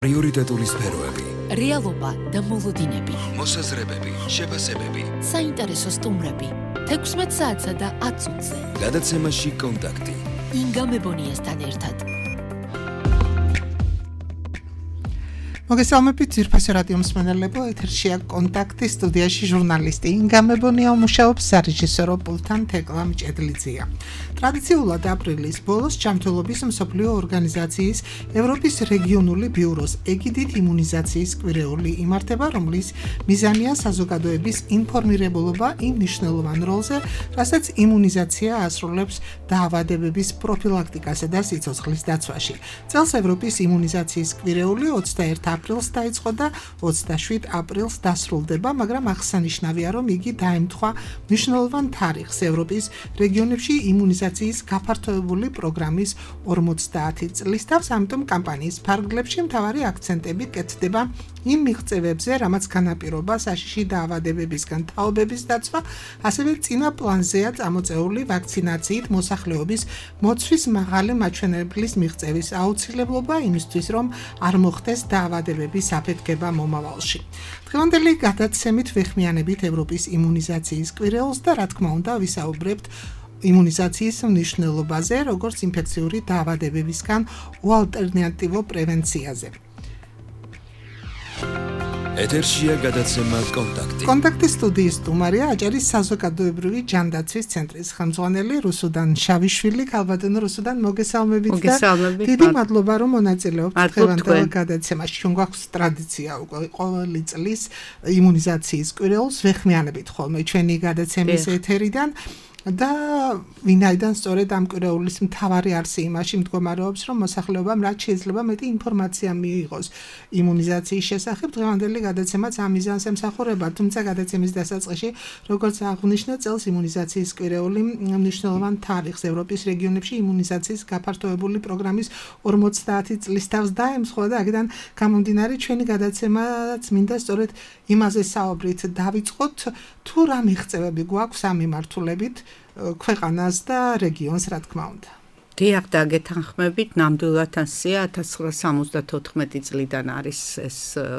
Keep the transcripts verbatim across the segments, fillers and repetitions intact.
პრიორიტეტული სფეროები, რეალობა და მოლოდინები, მოსაზრებები, შეფასებები, საინტერესო სტუმრები, თექვსმეტ საათსა და ათ წუთზე. გადაცემაში კონტაქტი. ინგა მებონიასთან ერთად. მოგესალმებით ძვირფასი რადიო მსმენელებო, ეთერშია კონტაქტი, სტუდიაში ჟურნალისტი ინგა მებონია მუშაობს, სარეჟისორო პულტთან თეკლა მჭედლიძეა. ტრადიციულად აპრილის ბოლოს ჯანმრთელობის მსოფლიო ორგანიზაციის ევროპის რეგიონული ბიუროს ეგიდით იმუნიზაციის კვირეული იმართება, რომლის მიზანია საზოგადოების ინფორმირებულობა იმ მნიშვნელოვან როლზე, რასაც იმუნიზაცია ასრულებს დაავადებების პროფილაქტიკასა და სიცოცხლის დაცვაში. წელს ევროპის იმუნიზაციის კვირეული ოცდაერთი აპრილს დაიწყო და ოცდაშვიდ აპრილს დასრულდება, მაგრამ აღსანიშნავია, რომ იგი დაემთხვა მნიშვნელოვან თარიღს ევროპის რეგიონებში იმუნიზაციის გაფართოებული პროგრამის ორმოცდაათი წლის თავს, ამიტომ კამპანიის ფარგლებში მთავარი აქცენტები კეთდება იმ მიღწევებზე, რამაც განაპირობა საშიში დაავადებებისგან თაობების დაცვა, ასევე წინა პლანზეა წამოწეული ვაქცინაციით მოსახლეობის მოცვის მაღალი მაჩვენებლის მიღწევის აუცილებლობა იმისთვის, რომ არ მოხდეს დაავადებების აფეთქება მომავალში. დღევანდელი გადაცემით ვეხმიანებით ევროპის იმუნიზაციის კვირეულს და რა თქმა უნდა ვისაუბრებთ იმუნიზაციის მნიშვნელობაზე, როგორც ინფექციური დაავადებებისგან უალტერნატივო პრევენციაზე. ეთერშია გადაცემა კონტაქტი. კონტაქტის სტუდიის სტუმარია აჭარის საზოგადოებრივი ჯანდაცვის ცენტრის ხელმძღვანელი რუსუდან შავიშვილი. ქალბატონო რუსუდან, მოგესალმებით და დიდი მადლობა, რომ მონაწილეობთ დღევანდელ გადაცემაში. ჩვენ გვაქვს ტრადიცია უკვე ყოველი წლის იმუნიზაციის კვირეულს ვეხმიანებით ხოლმე ჩვენი გადაცემის ეთერიდან. და ვინაიდან სწორედ ამ კვირეულის მთავარი არსი იმაში მდგომარეობს, რომ მოსახლეობამ რაც შეიძლება მეტი ინფორმაცია მიიღოს იმუნიზაციის შესახებ, დღევანდელი გადაცემაც ამ მიზანს ემსახურება, თუმცა გადაცემის დასაწყისში, როგორც აღნიშნა, წელს იმუნიზაციის კვირეული მნიშვნელოვან თარიღს ევროპის რეგიონებში იმუნიზაციის გაფართოებული პროგრამის ორმოცდაათი წლის თავს დაემთხვა და აქედან გამომდინარე ჩვენი გადაცემაც მინდა სწორედ იმაზე საუბრით დავიწყოთ, თუ რა მიღწევები გვაქვს ამ მიმართულებით ქვეყანას და რეგიონს, რა თქმა უნდა. დიახ, და გეთანხმებით, ნამდვილად ასეა ათას ცხრაასა სამოცდათოთხმეტი წლიდან არის ეს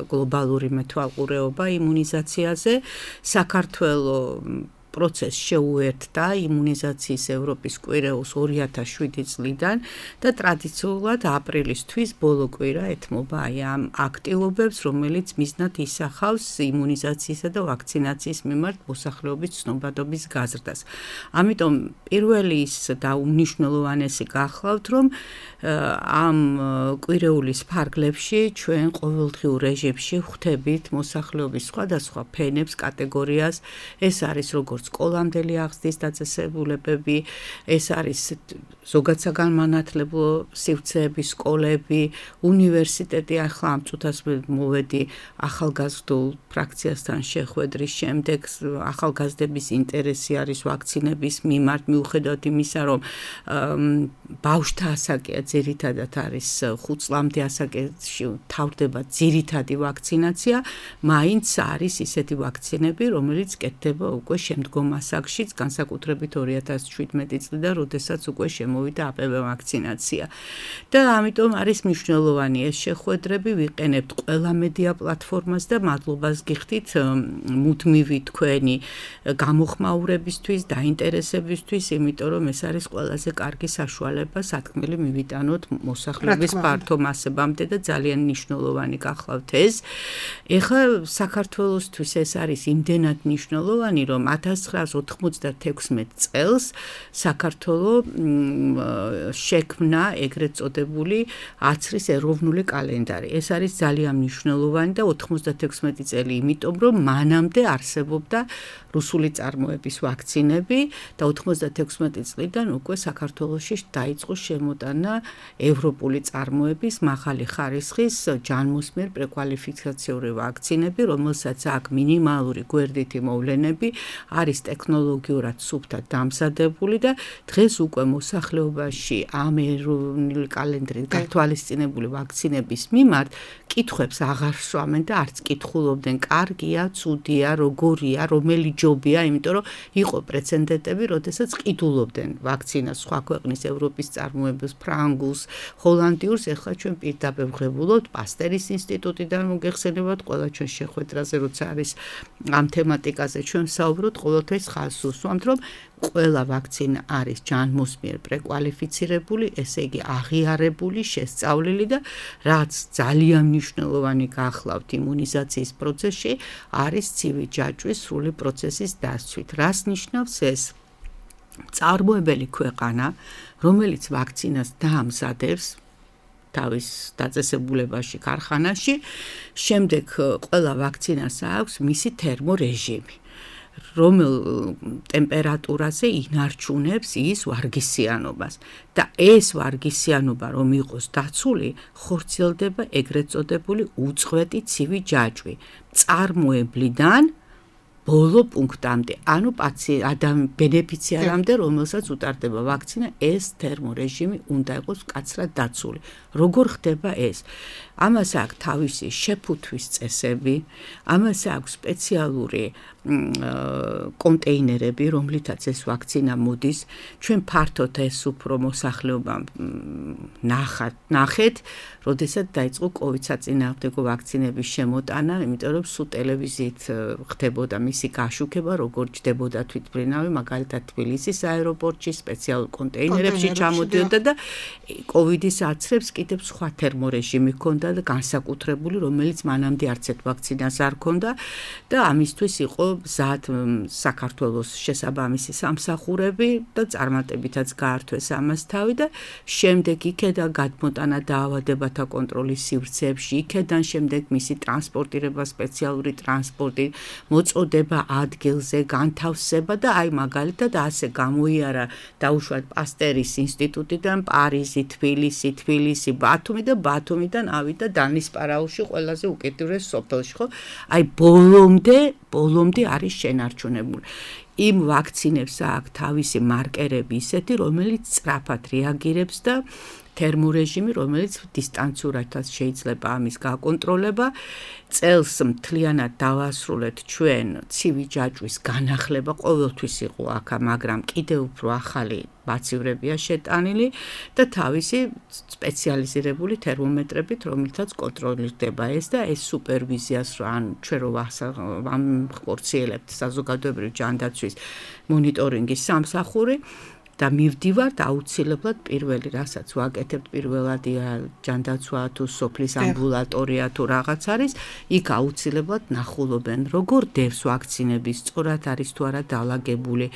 გლობალური მეთვალყურეობა იმუნიზაციაზე. საქართველოს პროცესს შეუერთდა იმუნიზაციის ევროპის კვირეულს ორი ათას შვიდი წლიდან და ტრადიციულად აპრილისთვის ბოლო კვირა ეთმობა აი ამ აქტივობებს, რომელიც მიზნად ისახავს იმუნიზაციისა და ვაქცინაციის მიმართ მოსახლეობის ცნობადობის გაზრდას. ამიტომ პირველი ის და უმნიშვნელოვანესი გახლავთ, რომ ამ კვირეულის ფარგლებში ჩვენ ყოველდღიურ რეჟიმში ხვდებით მოსახლეობის სხვადასხვა ფენებს, კატეგორიას. ეს არის როგორც სკოლამდელი აღზრდის დაწესებულებები, ეს არის ზოგად საგანმანათლებლო სივრცეების სკოლები, უნივერსიტეტი. ახლა ამ წუთას მოვედი ახალგაზრდულ ფრაქციასთან შეხვედრის შემდეგ. ახალგაზრდების ინტერესი არის ვაქცინების მიმართ, მიუხედავად იმისა, რომ ბავშვთა ასაკია ძირითადად არის ხუთ წლამდე ასაკში თავდება ძირითადი ვაქცინაცია, მაინც არის ისეთი ვაქცინები, რომელიც კეთდება უკვე შემდგომ ასაკშიც, განსაკუთრებით ორი ათას შვიდმეტი წლიდან, როდესაც უკვე შემოვიდა აპევ ვაქცინაცია. და ამიტომ არის მნიშვნელოვანი ეს შეხვედრები, ვიყენებთ ყველა მედია პლატფორმას და მადლობას გიხდით მუდმივი თქვენი გამოხმაურებისთვის, დაინტერესებისთვის, იმიტომ რომ ეს არის ყველაზე კარგი საშუალება სათქმელი მივიტანოთ მოსახლეობის ფართო მასებამდე და ძალიან მნიშვნელოვანი გახლავთ ეს. ეხლა საქართველოსთვის ეს არის იმდენად მნიშვნელოვანი, რომ ათას ცხრაასა ოთხმოცდათექვსმეტ წელს საქართველოს შექმნა ეგრეთ წოდებული აცრის ეროვნული კალენდარი. ეს არის ძალიან მნიშვნელოვანი და ოთხმოცდათექვსმეტი წელი, იმიტომ რომ მანამდე არსებობდა რუსული წარმოების ვაქცინები და ოთხმოცდათექვსმეტი წლიდან უკვე საქართველოში დაიწყო შემოტანა ევროპული წარმოების მაღალი ხარისხის ჯანმოსმერ პრეკვალიფიკაციური ვაქცინები, რომელსაც აქვს მინიმალური გვერდითი მოვლენები, არის ტექნოლოგიურად სუფთად დამზადებული და დღეს უკვე მოსახლეობაში ამ ეროვნული კალენდრით გათვალისწინებული ვაქცინების მიმართ კითხვებს აღარ სვამენ და არც კითხულობდნენ, კარგია, ცუდია, როგორია, რომელი ჯობია, იმიტომ რომ იყო პრეცედენტები, როდესაც ყიდულობდნენ ვაქცინას სხვა ქვეყნის ევროპის წარმოების ფრანგულ ანგლს, ჰოლანდიურს, ეხლა ჩვენ პირდაპირ ვღებულობთ პასტერის ინსტიტუტიდან მოგეხსენებათ ყველა ჩვენ შეხვედრაზე, როცა არის ამ თემატიკაზე ჩვენ ვსაუბრობთ, ყოველთვის ხაზს უსვამთ, რომ ყველა ვაქცინა არის ჯანმოსმიერ პრეკვალიფიცირებული, ესე იგი აღიარებული, შესწავლილი და რაც ძალიან მნიშვნელოვანი გახლავთ იმუნიზაციის პროცესში, არის ცივი ჯაჭვის სრული პროცესის დასცვით. რას ნიშნავს ეს? წარმოებელი ქვეყანა, რომელიც ვაქცინას დაამზადებს თავის დაწესებულებაში, ქარხანაში, შემდეგ ყველა ვაქცინას აქვს მისი თერმორეჟიმი. რომელ ტემპერატურაზე ინარჩუნებს ის ვარგისიანობას და ეს ვარგისიანობა რომ იყოს დაცული, ხორციელდება ეგრეთ წოდებული უწყვეტი ცივი ჯაჭვი წარმოებლიდან ბოლო პუნქტამდე, ანუ ადამიან ბენეფიციარამდე, რომელსაც უტარდება ვაქცინა, ეს თერმორეჟიმი უნდა იყოს მკაცრად დაცული. როგორ ხდება ეს? ამას აქვს თავისი შეფუთვის წესები, ამას აქვს სპეციალური კონტეინერები, რომლითაც ეს ვაქცინა მოდის. ჩვენ ფართოდ ეს უფრო მოსახლეობა ნახat, ნახეთ, როდესაც დაიწყო კოვიდ საწინააღმდეგო ვაქცინების შემოტანა, იმიტომ რომ სულ ტელევიზიით ხდებოდა მისი გაშუქება, როგორ ჯდებოდა თვითმფრინავი, მაგალითად თბილისის აეროპორტში სპეციალურ კონტეინერებში ჩამოდიოდა და კოვიდის აცრებს კიდევ სხვა თერმორეჟიმი ჰქონდა და განსაკუთრებული, რომელიც მანამდე არც ერთ ვაქცინას არ ჰქონდა და ამისთვის იყო მზად საქართველოს შესაბამისი სამსახურები და წარმატებითაც გაართვეს ამას თავი და შემდეგ იქედან გადმოტანა დაავადებათა კონტროლის სივრცეებში, იქედან შემდეგ მისი ტრანსპორტირება, სპეციალური ტრანსპორტი, მოწოდება ადგილზე, განთავსება და აი მაგალითად ასე გამოიარა დაუშვათ პასტერის ინსტიტუტიდან პარიზი, თბილისი, თბილისი, ბათუმი და ბათუმიდან ავიდა დანისპარაულში ყველაზე უკიდურეს სოფელში, ხო? აი ბოლომდე, ბოლომდე არის შენარჩუნებული. იმ ვაქცინებს აქვს თავისი მარკერები ისეთი, რომელიც სწრაფად რეაგირებს და თერმორეჟიმი, რომელიც დისტანციურადაც შეიძლება ამის გაკონტროლება. წელს მთლიანად დავასრულეთ ჩვენ ცივი ჯაჭვის განახლება, ყოველთვის იყო აქ, მაგრამ კიდევ უფრო ახალი ბაცივრებია შეტანილი და თავისი სპეციალიზირებული თერმომეტრებით, რომელთაც კონტროლირდება ეს და ეს სუპერვიზიას ან ჩვენ რო ვახორციელებთ საზოგადოებრივი ჯანდაცვის მონიტორინგის სამსახური და მივდივართ აუცილებლად პირველი რასაც ვაკეთებთ პირველადია ჯანდაცვა თუ სოფლის ამბულატორია თუ რაღაც არის, იქ აუცილებლად ნახულობენ როგორ დევს ვაქცინების, სწორად არის თუ არა დალაგებული,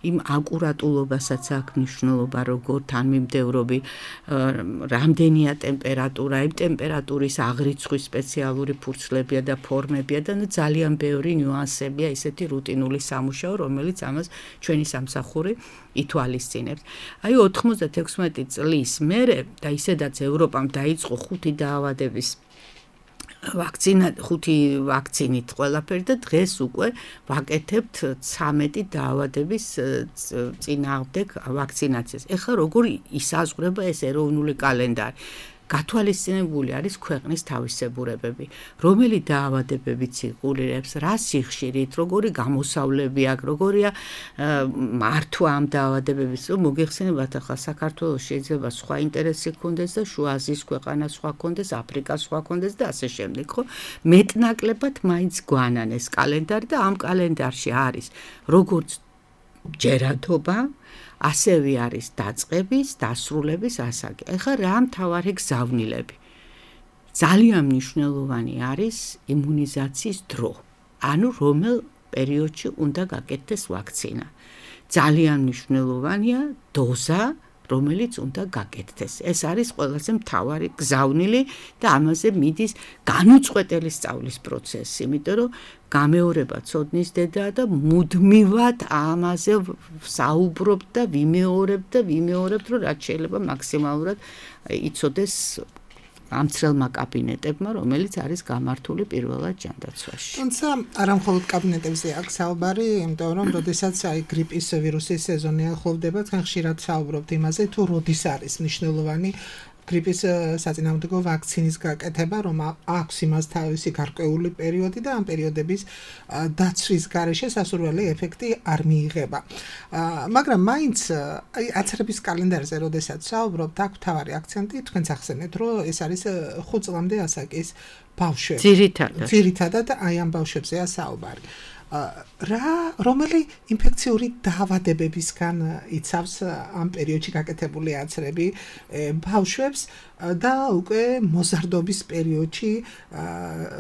იმ აკურატულობასაც აქვს მნიშვნელობა, როგორ თანმიმდევრობი, რამდენია ტემპერატურა, იმ ტემპერატურის აღრიცხვის სპეციალური ფურცლებია და ფორმებია და ძალიან ბევრი ნიუანსებია, ისეთი რუტინული სამუშაო, რომელიც ამას ჩვენი სამსახური ითვალისწინებს. აი ოთხმოცდათექვსმეტი წლის მერე და ისედაც ევროპამ დაიწყო ხუთი დაავადების ვაქცინა, ხუთი ვაქცინით ყველაფერი და დღეს უკვე ვაკეთებთ ცამეტი დაავადების წინააღმდეგ ვაქცინაციას. ეხლა როგორ ისაზღვრება ეს ეროვნული კალენდარი? გათვალისწინებული არის ქვეყნის თავისებურებები, რომელი დაავადებებიც იღულირებს, რა სიხშირით, როგორი გამოსავლები აქვს, როგორია მართვა ამ დაავადებების, რომ მოგეხსენებათ ახლა საქართველოს შეიძლება სხვა ინტერესი ჰქონდეს და შუა აზიის ქვეყანა სხვა ჰქონდეს, აფრიკა სხვა ჰქონდეს და ასე შემდეგ, ხო? მეტნაკლებად მაინც გვანან ეს კალენდარი და ამ კალენდარში არის როგორც ჯერადობა, ასევე არის დაწყების, დასრულების ასაკი. ეხლა რა მთავარი გზავნილები? ძალიან მნიშვნელოვანი არის იმუნიზაციის დრო. ანუ რომელ პერიოდში უნდა გაკეთდეს ვაქცინა. ძალიან მნიშვნელოვანია დოზა, რომელიც უნდა გაკეთდეს. ეს არის ყველაზე მთავარი გზავნილი და ამაზე მიდის განუწყვეტელი სწავლის პროცესი, იმიტომ რომ გამეორება ცოდნის დედაა და მუდმივად ამაზე საუბრობთ და ვიმეორებთ და ვიმეორებთ, რომ რაც შეიძლება მაქსიმალურად იცოდეს ამცრელმა კაბინეტებმა, რომელიც არის გამართული პირველად ჯანდაცვაში. თუმცა არა მხოლოდ კაბინეტებზე აქვს საუბარი, იმიტომ რომ როდესაც აი გრიპის ვირუსის სეზონი ახლოვდება, თან ხშირად საუბრობთ იმაზე, თუ როდის არის მნიშვნელოვანი გრიპის საწინააღმდეგო ვაქცინის გაკეთება, რომ აქვს იმას თავისი გარკვეული პერიოდი და ამ პერიოდების დაცვის გარეშე სასურველი ეფექტი არ მიიღება. მაგრამ მაინც აი აცრების კალენდარზე როდესაც საუბრობთ, აქ თავარი აქცენტი თქვენც ახსენეთ, რომ ეს არის ხუთ წლამდე ასაკის ბავშვები. ძირითადად. ძირითადად აი ამ ბავშვებზეა საუბარი. რა რომელი ინფექციური დაავადებებისგან იცავს ამ პერიოდში გაკეთებული აცრები ბავშვებს და უკვე მოზარდობის პერიოდში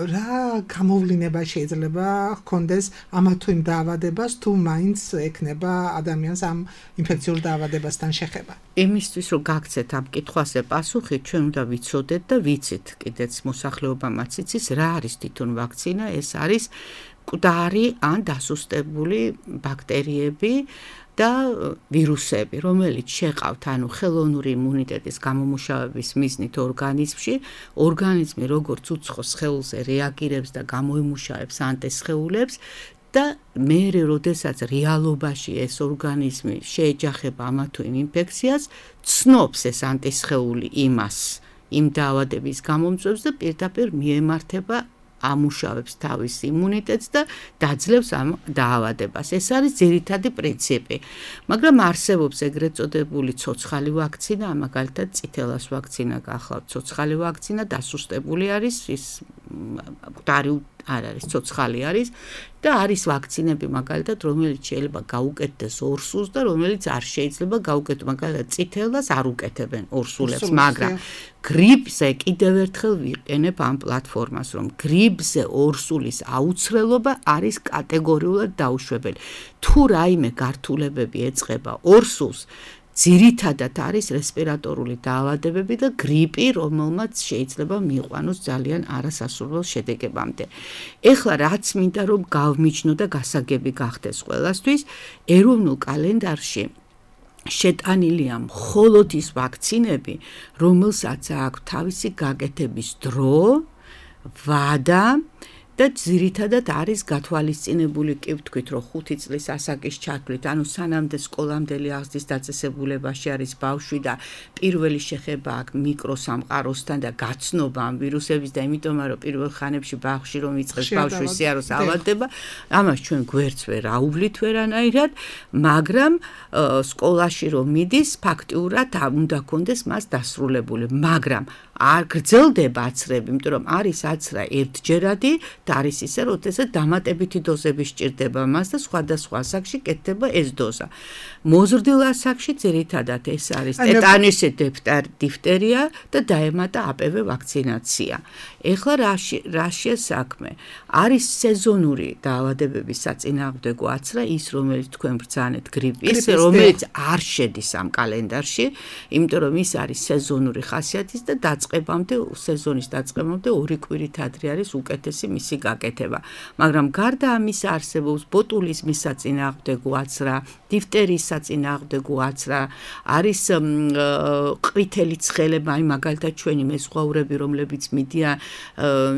რა გამოვლინება შეიძლება ჰქონდეს ამა თუ იმ დაავადებას თუ მაინც ექნება ადამიანს ამ ინფექციურ დაავადებასთან შეხება. იმისთვის რომ გაგცეთ ამ კითხვაზე პასუხი, ჩვენ უნდა ვიცოდეთ და ვიცით კიდეც მოსახლეობამაც იცის რა არის თვითონ ვაქცინა, ეს არის მკვდარი ან დასუსტებული ბაქტერიები და ვირუსები, რომელიც შეყავთ ანუ ხელოვნური იმუნიტეტის გამომუშავების მიზნით ორგანიზმში, ორგანიზმი როგორც უცხო სხეულზე რეაგირებს და გამოიმუშავებს ანტისხეულებს და მერე როდესაც რეალობაში ეს ორგანიზმი შეეჯახება ამა თუ იმ ინფექციას, ცნობს ეს ანტისხეული იმას, იმ დაავადების გამომწვევს და პირდაპირ მიემართება ამუშავებს თავის იმუნიტეტს და დაძლევს ამ დაავადებას. ეს არის ძირითადი პრინციპი. მაგრამ არსებობს ეგრეთ წოდებული ცოცხალი ვაქცინა, მაგალითად წითელას ვაქცინა გახლავთ. ცოცხალი ვაქცინა დასუსტებული არის, ის მკვდარი არ არის, ცოცხალი არის და არის ვაქცინები მაგალითად, რომელიც შეიძლება გაუკეთდეს ორსულს და რომელიც არ შეიძლება გაუკეთოს, მაგალითად წითელას არ უკეთებენ ორსულებს, მაგრამ გრიპზე კიდევ ერთხელ ვიყენებ ამ პლატფორმას, რომ გრიპზე ორსულის აუცილებლობა არის კატეგორიულად დაუშვებელი. თუ რაიმე გართულებები ეწყება ორსულს, ძირითადად არის რესპირატორული დაავადებები და გრიპი, რომელმაც შეიძლება მიიყვანოს ძალიან არასასურველ შედეგებამდე. ეხლა რაც მინდა რომ გავმიჯნო და გასაგები გახდეს ყველასთვის, ეროვნულ კალენდარში შეტანილია მხოლოდ ის ვაქცინები, რომელსაც აქვს თავისი გაკეთების დრო, ვადა და ძირითადად არის გათვალისწინებული კი ვთქვით, რომ ხუთი წლის ასაკის ჩათვლით, ანუ სანამდე სკოლამდელი აღზრდის დაწესებულებაში არის ბავშვი და პირველი შეხება აქვს მიკროსამყაროსთან და გაცნობა ამ ვირუსების და იმიტომ რომ პირველ ხანებში ბავშვი რომ იწყებს ბავშვის სიაროს ავადდება, ამას ჩვენ გვერდს ვერ აუვლით ვერანაირად, მაგრამ სკოლაში რომ მიდის, ფაქტიურად უნდა კონდეს მას დასრულებული, მაგრამ არ გრძელდება აცრები, იმიტომ რომ არის აცრა ერთჯერადი და არის ისე, როდესაც დამატებითი დოზები სჭირდება მას და სხვადასხვა ასაკში კეთდება ეს დოზა. მოზრდილ ასაკში ძირითადად ეს არის ტეტანისი, დიფტერია და დაემატა აპევე ვაქცინაცია. ეხლა რა შესაქმე? არის სეზონური დაავადებების საწინააღმდეგო აცრა, ის რომელიც თქვენ ბრძანეთ გრიპის, რომელიც არ შედის ამ კალენდარში, იმიტომ რომ ის არის სეზონური ხასიათის და დაწყებამდე, სეზონის დაწყებამდე ორი კვირით ადრე არის უკეთესი მისი გაკეთება. მაგრამ გარდა ამისა არსებობს ბოტულიზმის საწინააღმდეგო აცრა, დიფტერიის საწინააღმდეგო აცრა, არის ყვითელი ცხელება, აი მაგალითად ჩვენი მეზღვაურები, რომლებიც მიდიან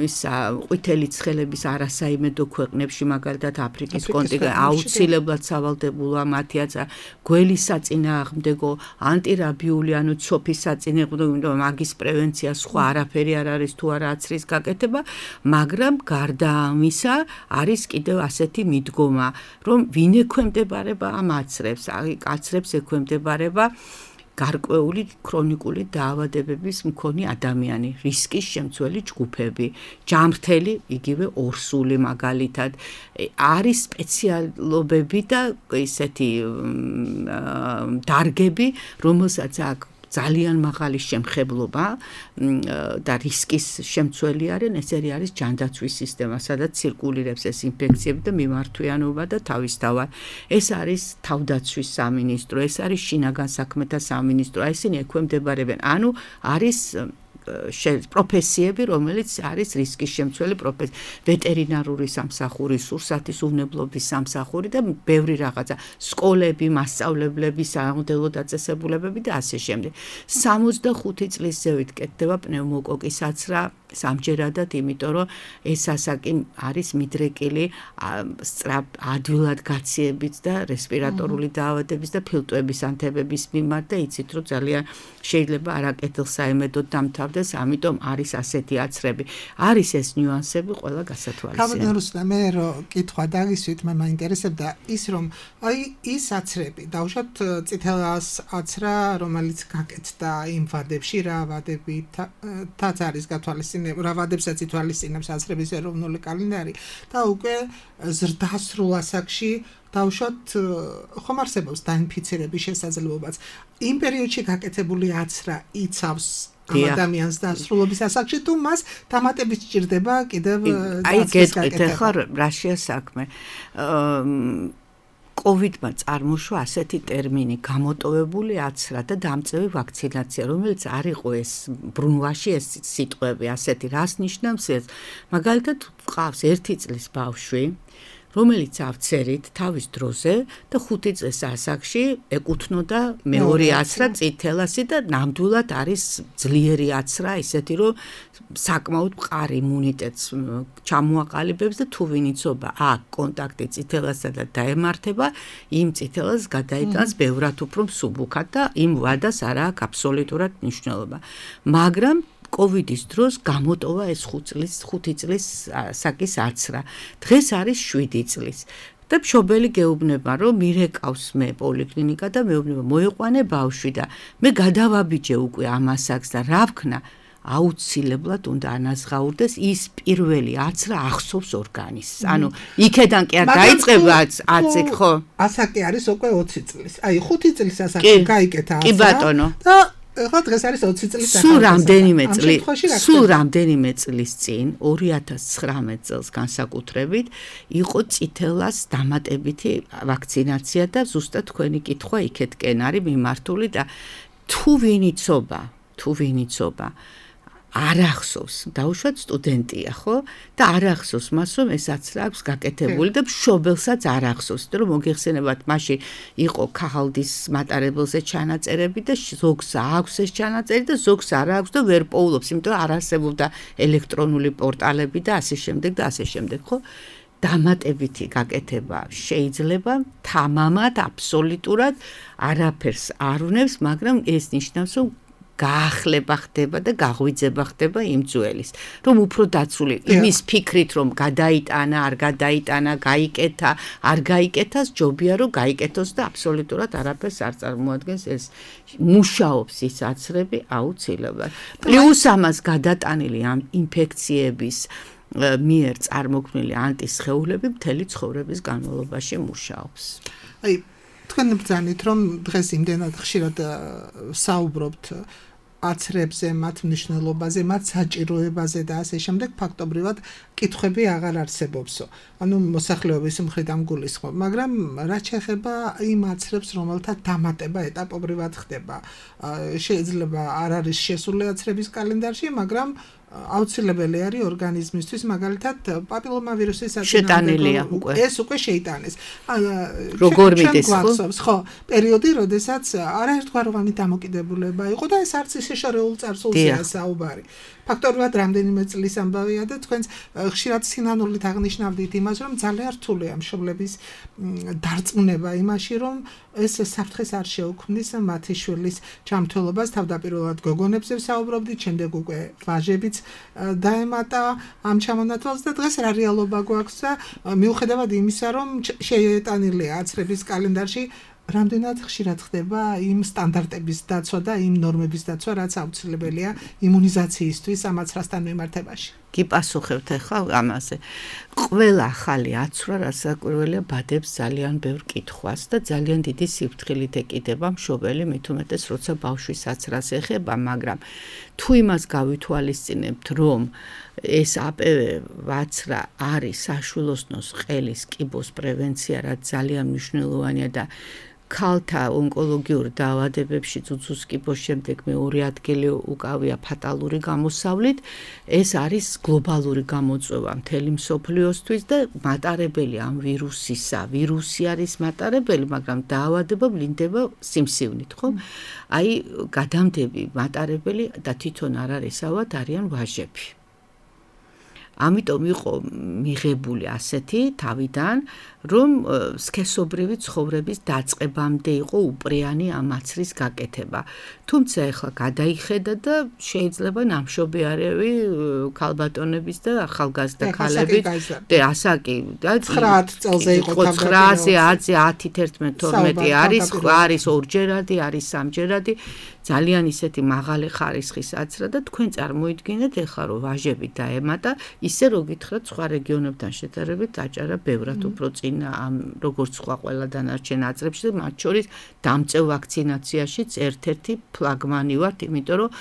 ისა ყვითელი ცხელების არასაიმედო ქვეყნებში, მაგალითად აფრიკის კონტინენტში, აუცილებლად სავალდებულოა მათი აცრა, გველის საწინააღმდეგო, ანტირაბიული, ანუ ცოფის საწინააღმდეგო, იმიტომ რომ მაგის პრევენცია სხვა არაფერი არ არის თუ არა აცრის გაკეთება, მაგრამ გარდა ამისა არის კიდევ ასეთი მიდგომა, რომ ვინ ექვემდებარება ამ აცრებს, აი აცრებს ექვემდებარება გარკვეული ქრონიკული დაავადებების მქონე ადამიანი, რისკის შემცველი ჯგუფები, ჯამრთელი, იგივე ორსული მაგალითად, არის სპეციალობები და ესეთი დარგები, რომელსაც აქვს ძალიან მაღალი შემხებლობა და რისკის შემცველი არიან, ესერი არის ჯანდაცვის სისტემა, სადაც ცირკულირებს ეს ინფექციები და მიმართვიანობა და თავისთავად. ეს არის თავდაცვის სამინისტრო, ეს არის შინაგან საქმეთა სამინისტრო, ესენი ექვემდებარებიან. ანუ არის პროფესიები, რომელიც არის რისკის შემცველი პროფესია, ვეტერინარული სამსახური, სურსათის უვნებლობის სამსახური და ბევრი რაღაცა, სკოლები, მასწავლებლები, სამოდელო დაწესებულებები და ასე შემდეგ. სამოცდახუთი წლის ზევით კეთდება პნევმოკოკის აცრა სამჯერადად, იმიტომ რომ ეს ასაკი არის მიდრეკილი სწრაფ ადვილად გაციებით და რესპირატორული დაავადების და ფილტვების ანთებების მიმართ და იცით რომ ძალიან შეიძლება არაკეთილსაიმედოდ დამთავრდეს, ამიტომ არის ასეთი აცრები. არის ეს ნიუანსები ყველა გასათვალისწინებელია. გამოდნორუსნა მე რომ კითხვა დაგისვით, მე მაინტერესებდა ის რომ აი ის აცრები, დავუშვათ წითელას აცრა, რომელიც გაკეთდა იმ ვადებში, რა ვადებითაც არის გათვალისწინებული, რა ვადებსაც ითვალისწინებს აცრების ეროვნული კალენდარი და უკვე ზრდასრულ ასაკში დავუშვათ ხომ არსებობს დაინფიცირების შესაძლებლობაც. იმ პერიოდში გაკეთებული აცრა იცავს ამ ადამიანს დასრულობის ასაკში თუ მას დამატებით სჭირდება კიდევ აი გეტყვით ახლა რაშია საქმე. კოვიდმა წარმოშვა ასეთი ტერმინი გამოტოვებული აცრა და დამწევი ვაქცინაცია, რომელიც არ იყო ეს ბრუნვაში ეს სიტყვები ასეთი, რას ნიშნავს ეს? მაგალითად ყავს ერთი წლის ბავშვი, რომელიც ავცერით თავის დროზე და ხუთი წლის ასაკში ეკუთვნოდა მეორე აცრა წითელასი და ნამდვილად არის ძლიერი აცრა, ისეთი რომ საკმაოდ მყარი იმუნიტეტს ჩამოაყალიბებს და თუ ვინიცობა აქ კონტაქტი წითელასა და დაემართება, იმ წითელას გადაიტანს ბევრად უფრო მსუბუქად და იმ ვადას არ აქვს აბსოლუტურად მნიშვნელობა. მაგრამ კოვიდის დროს გამოტოვა ეს ხუთი წლის ასაკის აცრა. დღეს არის შვიდი წლის. და მშობელი გეუბნება, რომ მირეკავს მე პოლიკლინიკა და მეუბნება, მოიყვანე ბავშვი და მე გადავაბიჯე უკვე ამ ასაკს და რა ვქნა? აუცილებლად უნდა ანაზღაურდეს ის პირველი აცრა ახსოვს ორგანიზმს. ანუ იქედან კი არ დაიწყება აცი, ხო? ასაკი არის უკვე ოცი წლის. აი ხუთი წლის ასაკში გაიკეთა აცრა. კი ბატონო. და ეხლა დღეს არის ოცი წლის ასაკი. სულ რამდენიმე წლის, სულ რამდენიმე წლის წინ, ორი ათას ცხრამეტ წელს განსაკუთრებით, იყო წითელას დამატებითი ვაქცინაცია და ზუსტად თქვენი კითხვა იქეთკენ არის მიმართული და თუ ვინიცობა, თუ ვინიცობა არ ახსოვს, დაუშვათ სტუდენტია, ხო? და არ ახსოვს მას, რომ ეს აცრა აქვს გაკეთებული და მშობელსაც არ ახსოვს, რომ მოგეხსენებათ, მაშინ იყო ქაღალდის მატარებელზე ჩანაწერები და ზოგს აქვს ეს ჩანაწერი და ზოგს არ აქვს და ვერ პოულობს, იმიტომ არ არსებობდა ელექტრონული პორტალები და ასე შემდეგ და ასე შემდეგ, ხო? დამატებითი გაკეთება შეიძლება თამამად აბსოლუტურად არაფერს არ უნებს, მაგრამ ეს ნიშნავს, რომ გაახლება ხდება და გაღვიძება ხდება იმ ძველის, რომ უფრო დაცული იმის ფიქრით, რომ გადაიტანა, არ გადაიტანა, გაიკეთა, არ გაიკეთას, ჯობია რომ გაიკეთოს და აბსოლუტურად არაფერს არ წარმოადგენს ეს მუშაობს ის აცრები აუცილებლად. პლუს ამას გადატანილი ამ ინფექციების მიერ წარმოქმნილი ანტისხეულები მთელი ცხოვრების განმავლობაში მუშაობს. აი თქვენ ბრძანით, რომ დღეს იმდენად ხშირად საუბრობთ აცრებზე, მათ მნიშვნელობაზე, მათ საჭიროებაზე და ასე შემდეგ, ფაქტობრივად კითხვები აღარ არსებობსო. ანუ მოსახლეობის მხრიდან გულისხმობ, მაგრამ რაც შეეხება იმ აცრებს, რომელთა დამატება ეტაპობრივად ხდება, შეიძლება არ არის შესული აცრების კალენდარში, მაგრამ აუცილებელი არის ორგანიზმისთვის, მაგალითად პაპილომავირუსის შეტანილია უკვე. ეს უკვე შეიტანეს. როგორ მიდის, ხო? პერიოდი, როდესაც არაერთგვაროვანი დამოკიდებულება იყო და ეს არც ისე შორეულ წარსულზეა საუბარი. ფაქტობრივად რამდენიმე წლის ამბავია და თქვენს ხშირად სინანულით აღნიშნავდით იმას, რომ ძალიან რთულია მშობლების დარწმუნება იმაში, რომ ეს საფრთხეს არ შეუქმნის მათი შვილის ჯანმრთელობას, თავდაპირველად გოგონებზე საუბრობდით, შემდეგ უკვე ვაჟებიც დაემატა ამ ჩამონათვალს და დღეს რა რეალობა გვაქვს და მიუხედავად იმისა, რომ შეეტანილია აცრების კალენდარში, რამდენად ხშირად ხდება იმ სტანდარტების დაცვა და იმ ნორმების დაცვა, რაც აუცილებელია იმუნიზაციისთვის ამ აცრასთან მიმართებაში. კი პასუხებთ ახლა ამაზე. ყველა ახალი აცრა, რასაკვირველია, ბადებს ძალიან ბევრ კითხვას და ძალიან დიდი სიფრთხილით ეკიდება მშობელი, მით უმეტეს, როცა ბავშვის აცრას ეხება, მაგრამ თუ იმას გავითვალისწინებთ, რომ ეს აპევ აცრა არის საშვილოსნოს ყელის კიბოს პრევენცია, რაც ძალიან მნიშვნელოვანია და ქალთა ონკოლოგიურ დაავადებებში ცუცუს კიბოს შემდეგ მეორე ადგილი უკავია ფატალური გამოსავლით. ეს არის გლობალური გამოწვევა მთელი მსოფლიოსთვის და მატარებელი ამ ვირუსისა. ვირუსი არის მატარებელი, მაგრამ დაავადება ვლინდება სიმსივნით, ხო? აი, გადამდები მატარებელი და თვითონ არ არის ავად არიან ვაჟები. ამიტომ იყო მიღებული ასეთი თავიდან, რომ სქესობრივი ცხოვრების დაწყებამდე იყო უპრიანი ამ აცრის გაკეთება. თუმცა ეხლა გადაიხედა და შეიძლება ნამშობი არეvi ქალბატონების და ახალგაზრდა ქალების და ასაკი და ცხრა წელზე იყო ცხრაზე, ათზე, ათი, თერთმეტი, თორმეტი არის, არის ორჯერადი, არის სამჯერადი. ძალიან ისეთი მაღალი ხარისხის აცრა და თქვენ წარმოიდგინეთ ეხლა რომ ვაჟები დაემატა, ისე რო გითხრათ სხვა რეგიონებთან შედარებით აჭარა ბევრად უფრო წინა ამ როგორც სხვა ყველა დანარჩენ აზრებში და მათ შორის დამწევ ვაქცინაციაშიც ერთ-ერთი ფლაგმანი ვართ, იმიტომ რომ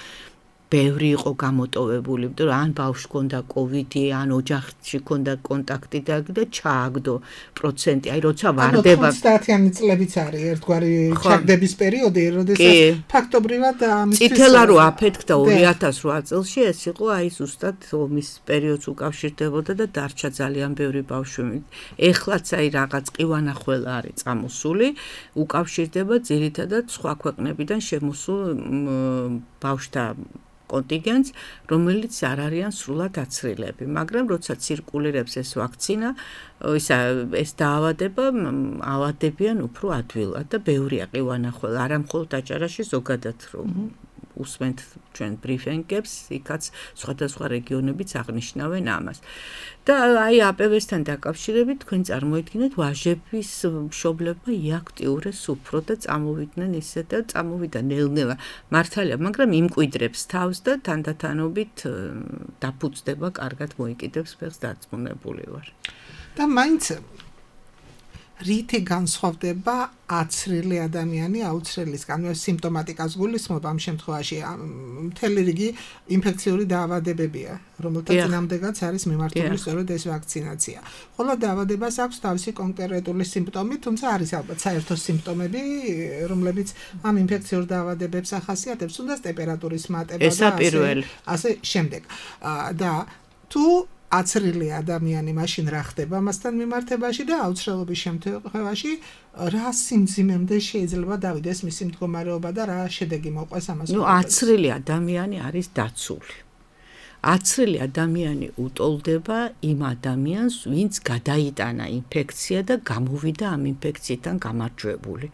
ბევრი იყო გამოტოვებული, იმიტომ რომ ან ბავშვს ჰქონდა კოვიდი, ან ოჯახში ჰქონდა კონტაქტი და ჩააგდო პროცენტი. აი როცა ვარდება ოცდაათიანი წლებიც არის ერთგვარი ჩაგდების პერიოდი, როდესაც ფაქტობრივად ამისთვის წითელა რო აფეთქდა ორი ათას რვა წელში, ეს იყო აი ზუსტად ომის პერიოდს უკავშირდებოდა და დარჩა ძალიან ბევრი ბავშვი. ეხლაც აი რაღაც ყივანახველა არის წამოსული, უკავშირდება ძირითადად სხვა ქვეყნებიდან შემოსულ ბავშვთა კონტინგენტს, რომელიც არ არიან სრულად აცრილები, მაგრამ როცა ცირკულირებს ეს ვაქცინა, ისა ეს დაავადება ავადებიან უფრო ადვილად და ბევრია ყივანახველა, არა მხოლოდ აჭარაში, ზოგადად რომ უსმენთ ჩვენ ბრიფინგებს, იქაც სხვადასხვა რეგიონებიც აღნიშნავენ ამას. და აი აპევესთან დაკავშირებით თქვენ წარმოიდგინეთ ვაჟების მშობლებმა იაქტიურეს უფრო და წამოვიდნენ ისე და წამოვიდა ნელ-ნელა მართალია, მაგრამ იმკვიდრებს თავს და თანდათანობით დაფუძდება, კარგად მოიკიდებს ფეხს, დარწმუნებული ვარ. და მაინც რითი განსხვავდება აცრილი ადამიანი აუცრელისგან? სიმპტომატიკას გულისხმობ ამ შემთხვევაში მთელი რიგი ინფექციური დაავადებებია, რომელთა წინამდეგაც არის მიმართული სწორედ ეს ვაქცინაცია. ხოლო დაავადებას აქვს თავისი კონკრეტული სიმპტომი, თუმცა არის ალბათ საერთო სიმპტომები, რომლებიც ამ ინფექციურ დაავადებებს ახასიათებს, თუნდაც ტემპერატურის მატება და ასე ასე შემდეგ. და თუ აცრილი ადამიანი მაშინ რა ხდება მასთან მიმართებაში და აუცრელობის შემთხვევაში რა სიმძიმემდე შეიძლება დავიდეს მისი მდგომარეობა და რა შედეგი მოყვეს ამას? ნუ აცრილი ადამიანი არის დაცული. აცრილი ადამიანი უტოლდება იმ ადამიანს, ვინც გადაიტანა ინფექცია და გამოვიდა ამ ინფექციიდან გამარჯვებული.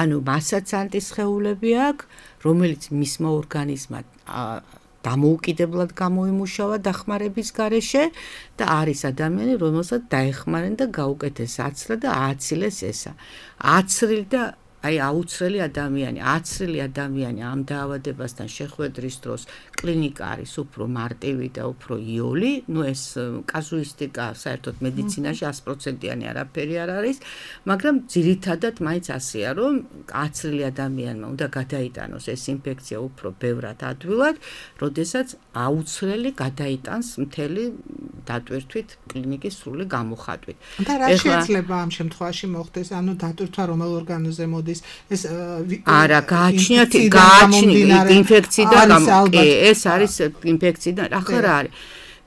ანუ მასაც ანტისხეულები აქვს, რომელიც მისმა ორგანიზმად დამოუკიდებლად გამოიმუშავა დახმარების გარეშე და არის ადამიანი, რომელსაც დაეხმარენ და გაუკეთეს აცრა და ააცილეს ესა. აცრილი და აი აუცრელი ადამიანი, აცრილი ადამიანი ამ დაავადებასთან შეხვედრის დროს კლინიკა არის უფრო მარტივი და უფრო იოლი, ნუ ეს კაზუისტიკა საერთოდ მედიცინაში ათი პროცენტიანი არაფერი არ არის, მაგრამ ძირითადად მაინც ასეა, რომ აცრილი ადამიანმა უნდა გადაიტანოს ეს ინფექცია უფრო ბევრად ადვილად, როდესაც აუცრელი გადაიტანს მთელი დატვირთვით კლინიკის სრული გამოხატვით. და რა შეიძლება ამ შემთხვევაში მოხდეს? ანუ დატვირთვა რომელ ორგანოზე მოდის? ეს არა გააჩნიათ გააჩნიათ ინფექციიდან ეს არის ინფექციიდან ახლა რა არის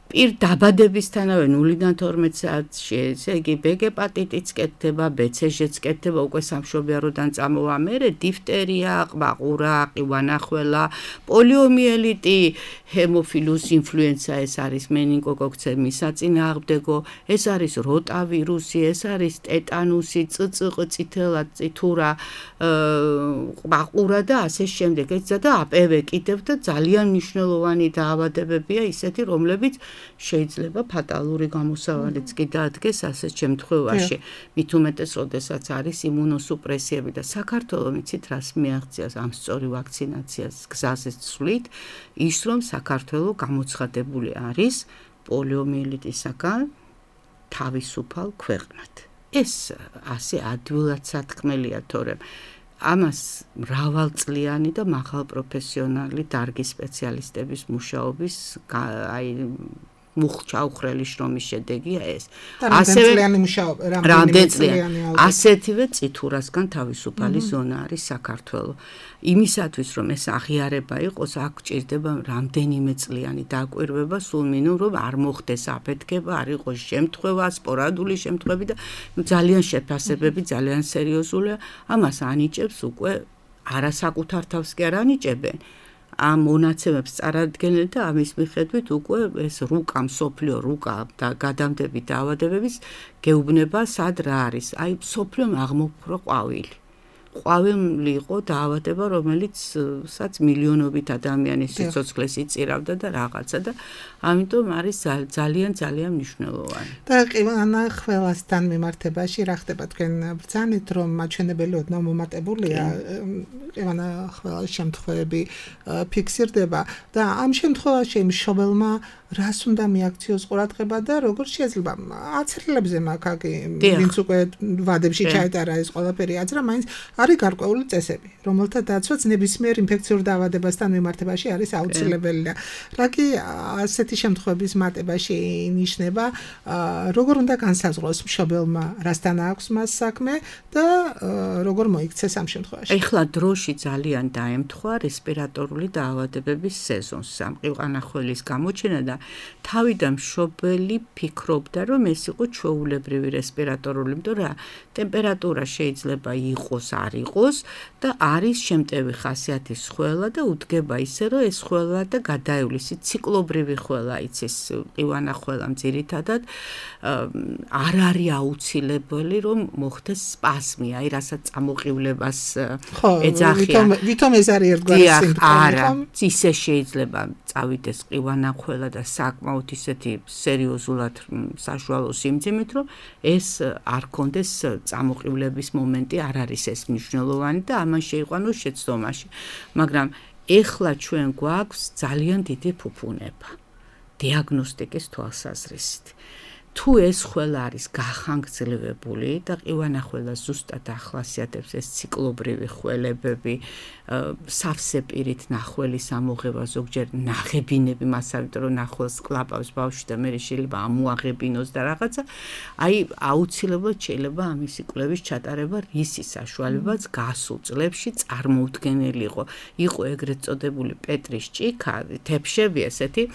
პირ დაბადებისთანავე ნულიდან თორმეტ საათში ესე იგი ბ ჰეპატიტიც კეთდება, ბ ცე-ჟეც კეთდება, უკვე სამშობიაროდან წამოვა მერე დიფტერია, ყბაყურა, ყივანახველა, პოლიომიელიტი, ჰემოფილუს ინფლუენცა, ეს არის მენინგოკოქცემის საწინააღმდეგო, ეს არის როტავირუსი, ეს არის ტეტანუსი, წწ, წითელა, წითურა, ყბაყურა და ასე შემდეგ. ეს და აპევე კიდევ და ძალიან მნიშვნელოვანი დაავადებებია ისეთი, რომლებიც შეიძლება ფატალური გამოსავალიც კი დაადგეს ასეთ შემთხვევაში. მით უმეტეს, როდესაც არის იმუნოსუპრესიები და საქართველოს მიცით რას მიაღწიას ამ სწორი ვაქცინაციას გზაზე ცვლით, ის რომ საქართველოს გამოცხადებული არის პოლიომიელიტისაგან თავისუფალ ქვეყნად. ეს ასე ადვილად სათქმელია, თორემ ამას მრავალწლიანი და მაღალპროფესიონალი დარგის სპეციალისტების მუშაობის აი მუხჩაუხრელი შრომის შედეგია ეს. რამდენწლიანი მუშაობა, რამდენწლიანი. ასეთივე წითურასგან თავისუფალი ზონა არის საქართველო. იმისათვის რომ ეს აღიარება იყოს, აქ ჭირდება რამდენიმე წლიანი დაკვირვება, სულ მინიმუმ რომ არ მოხდეს აფეთქება, არ იყოს შემთხვევა, სპორადული შემთხვევები და ძალიან შეფასებები ძალიან სერიოზულია. ამას ანიჭებს უკვე არასაკუთარ თავს კი არ ანიჭებენ. ამ მონაცემებს წარადგენენ და ამის მიხედვით უკვე ეს რუკა მსოფლიო რუკა და გადამდები დაავადებების გეუბნება სად რა არის. აი მსოფლიომ აღმოფხვრა ყვავილი. ყვავილი იყო დაავადება, რომელიც საც მილიონობით ადამიანის სიცოცხლეს იწირავდა და რაღაცა და ამიტომ არის ძალიან ძალიან მნიშვნელოვანი. და ყივანა ყველასთან მიმართებაში რა ხდება თქვენ ბრძანით რომ მაჩვენებელი ოდნავ მომატებულია ყივანა ყველა შემთხვევები ფიქსირდება და ამ შემთხვევაში მშობელმა რას უნდა მიაქციოს ყურადღება და როგორ შეიძლება აცრილებზე მაგაკი ვინც უკვე ვადებში ჩაეტარა ეს ყველაფერი აცრა მაინც არის გარკვეული წესები რომელთა დაცვაც ნებისმიერ ინფექციურ დაავადებასთან მიმართებაში არის აუცილებელია რაკი ასეთი შემთხვევების მატებაში ინიშნება როგორ უნდა განსაზღვროს მშობელმა რასთან აქვს მას საქმე და როგორ მოიქცეს ამ შემთხვევაში ეხლა დროში ძალიან დაემთხვა რესპირატორული დაავადებების სეზონს სამყივანახველის გამოჩენა და თავიდან მშობელი ფიქრობდა რომ ეს იყო ჩვეულებრივი რესპირატორული იმიტომ რა ტემპერატურა შეიძლება იყოს არ იყოს და არის შემტევი ხასიათის ხველა და უდგება ისე რომ ეს ხველა და გადაივლის ციკლობრივი ხველა იცის ყივანახველამ ძირითადად არ არის აუცილებელი რომ მოხდეს სპაზმი აი რასაც წამოყივლებას ეძახიან ვითომ ეს არის ერთგვარი სიმპტომი არა ისე შეიძლება წავიდეს ყივანახველა და საკმაოდ ისეთი სერიოზულად საშუალო სიმძიმით რომ ეს არ კონდეს წამოყივლების მომენტი არ არის ეს მნიშვნელოვანი და ამან შეიყვანოს შეცდომაში მაგრამ ეხლა ჩვენ გვაქვს ძალიან დიდი ფუფუნება დიაგნოსტიკის თვალსაზრისით თუ ეს ხველა არის გახანგრძლივებული და ყივანახველა ზუსტად ახასიათებს ეს ციკლობრივი ხველებები სავსე პირით ნახველის ამოღება ზოგჯერ ნაღებინები მასავით რომ ნახველს კლაპავს ბავშვი და მე შეიძლება ამოაღებინოს და რაღაცა აი აუცილებლად შეიძლება ამისი კვლევის ჩატარება რისი საშუალებაც გასულ წლებში წარმოუდგენელი იყო იყო ეგრეთ წოდებული პეტრის ჭიქა თეფშები ესეთი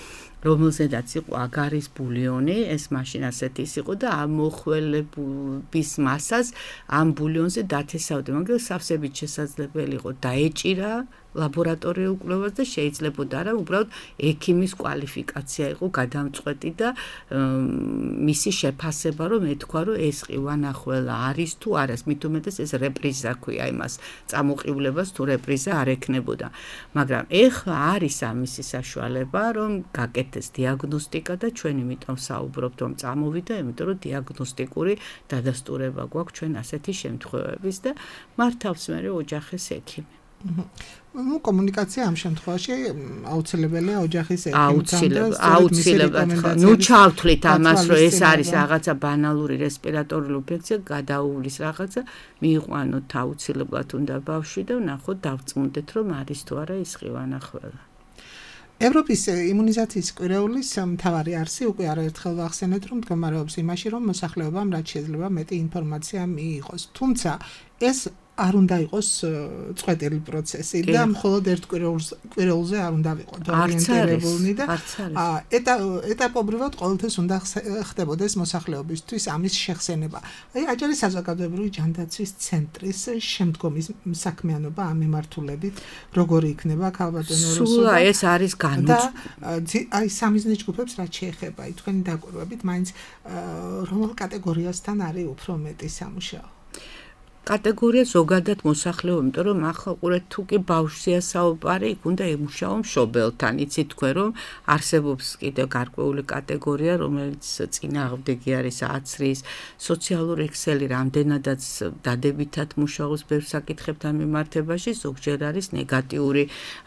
რომელზედაც იყო აგარის ბულიონი, ეს მაშინ ასეთის იყო და ამ მოხველების მასას ამ ბულიონზე დათესავდა, მაგრამ სავსებით შესაძლებელი იყო დაეჭირა ლაბორატორიულ კვლევას და შეიძლებოდა რა, უბრალოდ ექიმის კვალიფიკაცია იყო გადამწყვეტი და მისი შეფასება რომ ეთქვა რომ ეს ყივანახველა არის თუ არა, მით უმეტეს ეს რეპრიზა ქვია იმას, წამოყივლებას თუ რეპრიზა არ ექნებოდა. მაგრამ ეხლა არის ამისი საშუალება რომ გაკეთდეს დიაგნოსტიკა და ჩვენ იმიტომ საუბრობთ რომ წამოვიდა, იმიტომ რომ დიაგნოსტიკური დადასტურება გვაქვს ჩვენ ასეთი შემთხვევების და მართავს მე ოჯახის ექიმი. ну კომუნიკაცია ამ შემთხვევაში აუცილებელია ოჯახის ექიმთან აუცილებლად ნუ ჩავთვლით ამას რომ ეს არის რაღაცა ბანალური რესპირატორული ინფექცია გადაუვლის რაღაცა მიიყვანოთ აუცილებლად უნდა ბავშვი და ნახოთ დავწმუნდეთ რომ არის თუ არა ის ყივანახველა ევროპის იმუნიზაციის კვირეულის მთავარი არსი უკვე არაერთხელ ვახსენეთ რომ მდგომარეობს იმაში რომ მოსახლეობამ რაც შეიძლება მეტი ინფორმაცია მიიღოს თუმცა ეს არ უნდა იყოს წვეტილი პროცესი და მხოლოდ ერთ კვირეულზე არ უნდა ვიყოთ ორიენტირებულნი და ეტაპობრივად ყოველთვის უნდა ხდებოდეს მოსახლეობისთვის ამის შეხსენება. აი აჭარის საზოგადოებრივი ჯანდაცვის ცენტრის შემდგომი საქმიანობა ამ მიმართულებით როგორი იქნება ქალბატონო რუსულ და ეს არის განუწყვეტი აი სამიზნე ჯგუფებს რაც შეეხება აი თქვენი დაკვირვებით მაინც რომელ კატეგორიასთან არის უფრო მეტი სამუშაო კატეგორია ზოგადად მოსახლეობა, იმიტომ რომ ახლა ყურეთ თუ კი ბავშვია საუბარი, იქ უნდა ემუშაო მშობელთან. იცით თქვენ რომ არსებობს კიდევ გარკვეული კატეგორია, რომელიც წინააღმდეგი არის აცრის, სოციალური ქსელი რამდენადაც დადებითად მუშაობს ბევრ საკითხებთან მიმართებაში, ზოგჯერ არის ნეგატიური,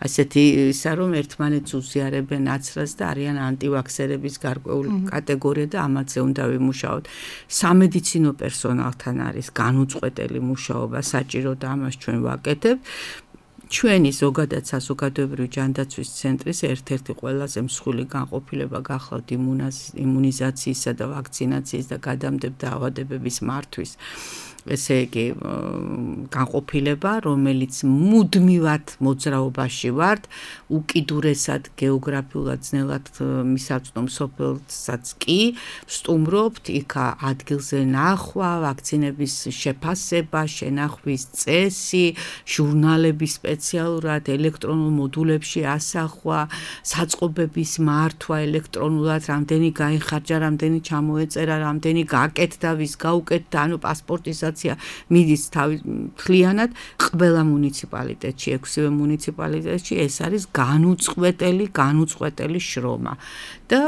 ასეთი ისა რომ ერთმანეთს უზიარებენ აცრას და არიან ანტივაქსერების გარკვეული კატეგორია და ამაზე უნდა ვიმუშაოთ. სამედიცინო პერსონალთან არის განუწყვეტელი მუშაობა საჭირო და ამას ჩვენ ვაკეთებთ. ჩვენი ზოგადად საზოგადოებრივი ჯანდაცვის ცენტრის ერთ-ერთი ყველაზე მსხვილი განყოფილება გახლავთ იმუნიზაციისა და ვაქცინაციის და გადამდებარე დაავადებების მართვის ესე იგი განყოფილება, რომელიც მუდმივად მოძრაობაში ვართ, უკიდურესად გეოგრაფიულად ძნელად მისაწვდომ სოფელსაც კი ვსტუმრობთ, იქ ადგილზე ნახვა, ვაქცინების შეფასება, შენახვის წესი, ჟურნალები სპეციალურად ელექტრონულ მოდულებში ასახვა, საწყობების მართვა ელექტრონულად, რამდენი გაიხარჯა, რამდენი ჩამოეწერა, რამდენი გაკეთდა, ვის გაუკეთდა, ანუ პასპორტისა მიდის თავი მთლიანად ყველა მუნიციპალიტეტში, ექვსივე მუნიციპალიტეტში ეს არის განუწყვეტელი, განუწყვეტელი შრომა. და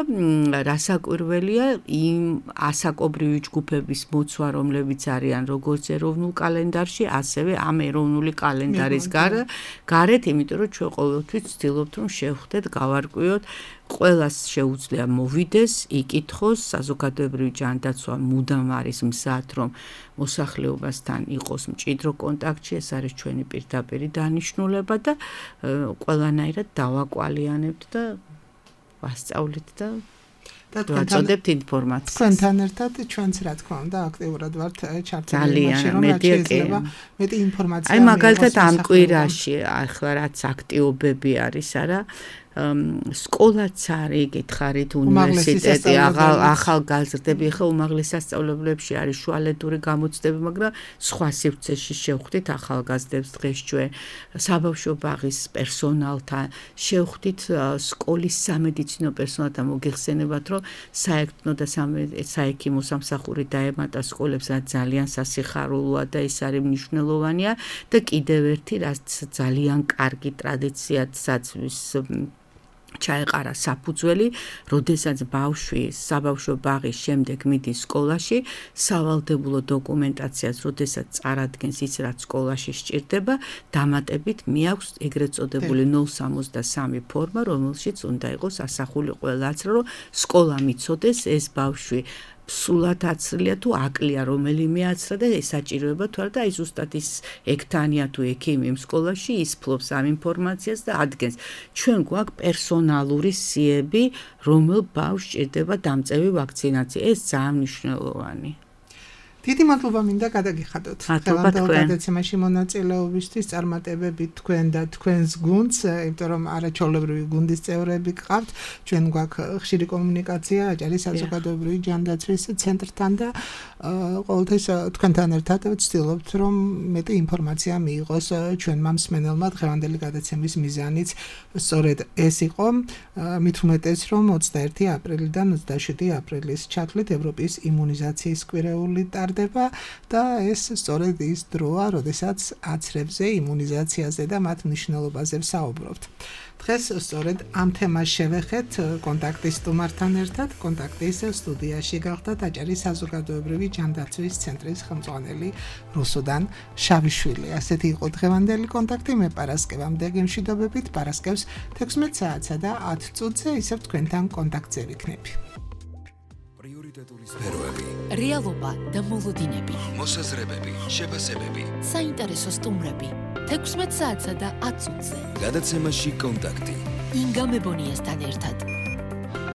რასაკვირველია იმ ასაკობრივი ჯგუფების მოცვა, რომლებიც არიან როგორც ეროვნულ კალენდარში, ასევე ამ ეროვნული კალენდარის გარეთ, იმიტომ რომ ჩვენ ყოველთვის ვცდილობთ, რომ შევხვდეთ, გავარკვიოთ ყველას შეუძლია მოვიდეს, იკითხოს, საზოგადოებრივი ჯანდაცვა მუდამ არის მზად, რომ მოსახლეობასთან იყოს მჭიდრო კონტაქტში, ეს არის ჩვენი პირდაპირი დანიშნულება და ყველანაირად დავაკვალიანებთ და ვასწავლით და ვაწოდებთ ინფორმაციას. თქვენთან ერთად ჩვენც რა თქმა უნდა აქტიურად ვართ ჩართული იმაში, რომ რაც შეიძლება მეტი ინფორმაცია. აი მაგალითად ამ კვირაში ახლა რაც აქტიობები არის, არა სკოლაც არის, გითხარით, უნივერსიტეტი, ახალგაზრდები, ახლა უმაღლეს სასწავლებლებში არის შუალედური გამოცდები, მაგრამ სხვა სივრცეში შევხვდით ახალგაზრდებს დღეს ჩვენ საბავშვო ბაღის პერსონალთან, შევხვდით სკოლის სამედიცინო პერსონალთან, მოგეხსენებათ, რომ საექნო და საექიმო სამსახური დაემატა სკოლებს, რაც ძალიან სასიხარულოა და ის არის მნიშვნელოვანია და კიდევ ერთი, რაც ძალიან კარგი ტრადიციადაც ჩაეყარა საფუძველი, როდესაც ბავშვი საბავშვო ბაღის შემდეგ მიდის სკოლაში, სავალდებულო დოკუმენტაციას, როდესაც წარადგენს ის, რაც სკოლაში სჭირდება, დამატებით მიაქვს ეგრეთ წოდებული ნულ სამოცდასამი ფორმა, რომელშიც უნდა იყოს ასახული ყველაც, რომ სკოლა მიცოდეს ეს ბავშვი სულად აცრილია თუ აკლია რომელიმე აცრა და ესაჭიროება თუ არა და აი ზუსტად ის ექთანია თუ ექიმი იმ სკოლაში ის ფლობს ამ ინფორმაციას და ადგენს ჩვენ გვაქვს პერსონალური სიები რომელ ბავშვს ჭირდება დამწევი ვაქცინაცია ეს ძალიან მნიშვნელოვანი დიდი მადლობა მინდა გადაგიხადოთ ხელამდელ გადაცემაში მონაწილეობისთვის წარმატებებით თქვენ და თქვენს გუნდს იმიტომ რომ არაჩვეულებრივი გუნდის წევრები გყავთ ჩვენ გვაქვს ხშირი კომუნიკაცია აჭარის საზოგადოებრივი ჯანდაცვის ცენტრთან და ყოველთვის თქვენთან ერთად ვცდილობთ რომ მეტი ინფორმაცია მიიღოს ჩვენმა მსმენელმა დღევანდელი გადაცემის მიზანიც სწორედ ეს იყო მით უმეტეს რომ ოცდაერთი აპრილიდან ოცდაშვიდი აპრილის ჩათვლით ევროპის იმუნიზაციის კვირეული ტარდება და ეს სწორედ ის დროა, როდესაც აცრებზე, იმუნიზაციაზე და მათ მნიშვნელობაზე ვსაუბრობთ. დღეს სწორედ ამ თემას შევეხეთ კონტაქტის სტუმართან ერთად, კონტაქტის სტუდიაში გახდათ აჭარის საზოგადოებრივი ჯანდაცვის ცენტრის ხელმძღვანელი რუსუდან შავიშვილი. ასეთი იყო დღევანდელი კონტაქტი, მე პარასკევამდე გემშვიდობებით, პარასკევს თექვსმეტ საათსა და ათ წუთზე ისევ თქვენთან კონტაქტზე ვიქნები. სფეროები, რეალობა და მოლოდინები, მოსაზრებები, შეფასებები, საინტერესო სტუმრები, თექვსმეტ საათსა და ათ წუთზე. გადაცემაში კონტაქტი. ინგა მებონიასთან ერთად.